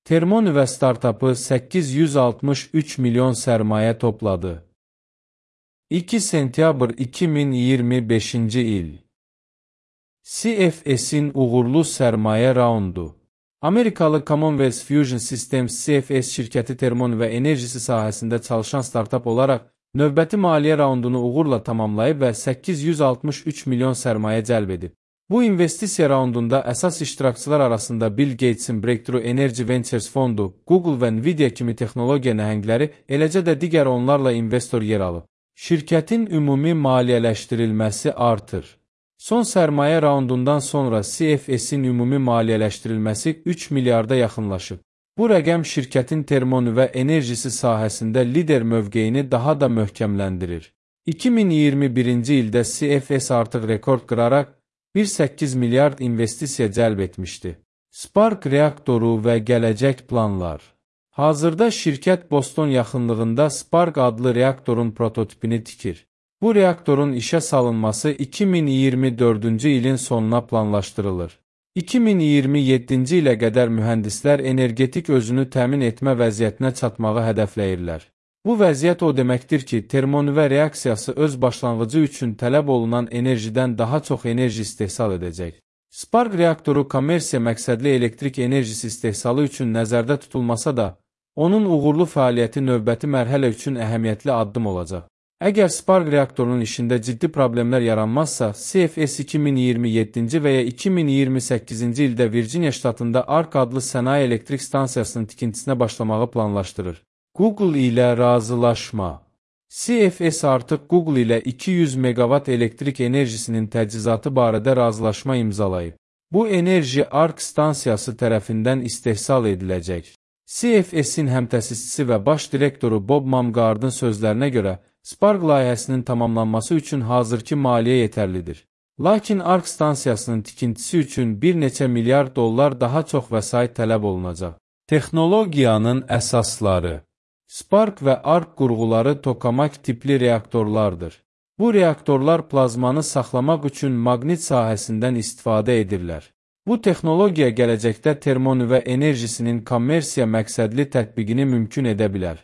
Termonüva startapı 863 milyon sərmayə topladı. 2 sentyabr 2025-ci il. CFS'in uğurlu sərmayə raundu. Amerikalı Commonwealth Fusion Systems CFS şirkəti termonüva enerjisi sahəsində çalışan startap olaraq növbəti maliyyə raundunu uğurla tamamlayıb və 863 milyon sərmayə cəlb edib. Bu investisiya raundunda əsas iştirakçılar arasında Bill Gates'in Breakthrough Energy Ventures fondu, Google və Nvidia kimi texnologiya nəhəngləri, eləcə də digər onlarla investor yer alıb. Şirkətin ümumi maliyyələşdirilməsi artır. Son sərmayə raundundan sonra CFS'in ümumi maliyyələşdirilməsi 3 milyarda yaxınlaşıb. Bu rəqəm şirkətin termonüva enerjisi sahəsində lider mövqeyini daha da möhkəmləndirir. 2021-ci ildə CFS artıq rekord qıraraq 1,8 milyard investisiya cəlb etmişdi. Spark reaktoru və gələcək planlar. Hazırda şirkət Boston yaxınlığında Spark adlı reaktorun prototipini tikir. Bu reaktorun işə salınması 2024-cü ilin sonuna planlaşdırılır. 2027-ci ilə qədər mühəndislər energetik özünü təmin etmə vəziyyətinə çatmağı hədəfləyirlər. Bu vəziyyət o deməkdir ki, termonüva reaksiyası öz başlanğıcı üçün tələb olunan enerjidən daha çox enerji istehsal edəcək. Spark reaktoru kommersiya məqsədli elektrik enerjisi istehsalı üçün nəzərdə tutulmasa da, onun uğurlu fəaliyyəti növbəti mərhələ üçün əhəmiyyətli addım olacaq. Əgər Spark reaktorunun işində ciddi problemlər yaranmazsa, CFS 2027-ci və ya 2028-ci ildə Virginia ştatında ARK adlı sənaye elektrik stansiyasının tikintisinə başlamağı planlaşdırır. Google ilə razılaşma. CFS artıq Google ilə 200 megawatt elektrik enerjisinin təchizatı barədə razılaşma imzalayıb. Bu enerji ARK stansiyası tərəfindən istehsal ediləcək. CFS-in həmtəsisçisi və baş direktoru Bob Mumgardın sözlərinə görə, Spark layihəsinin tamamlanması üçün hazırki maliyyə yetərlidir. Lakin ARK stansiyasının tikintisi üçün bir neçə milyard dollar daha çox vəsait tələb olunacaq. Texnologiyanın əsasları. Spark və ARK qurğuları tokamak tipli reaktorlardır. Bu reaktorlar plazmanı saxlamaq üçün maqnit sahəsindən istifadə edirlər. Bu texnologiya gələcəkdə termonüva enerjisinin kommersiya məqsədli tətbiqini mümkün edə bilər.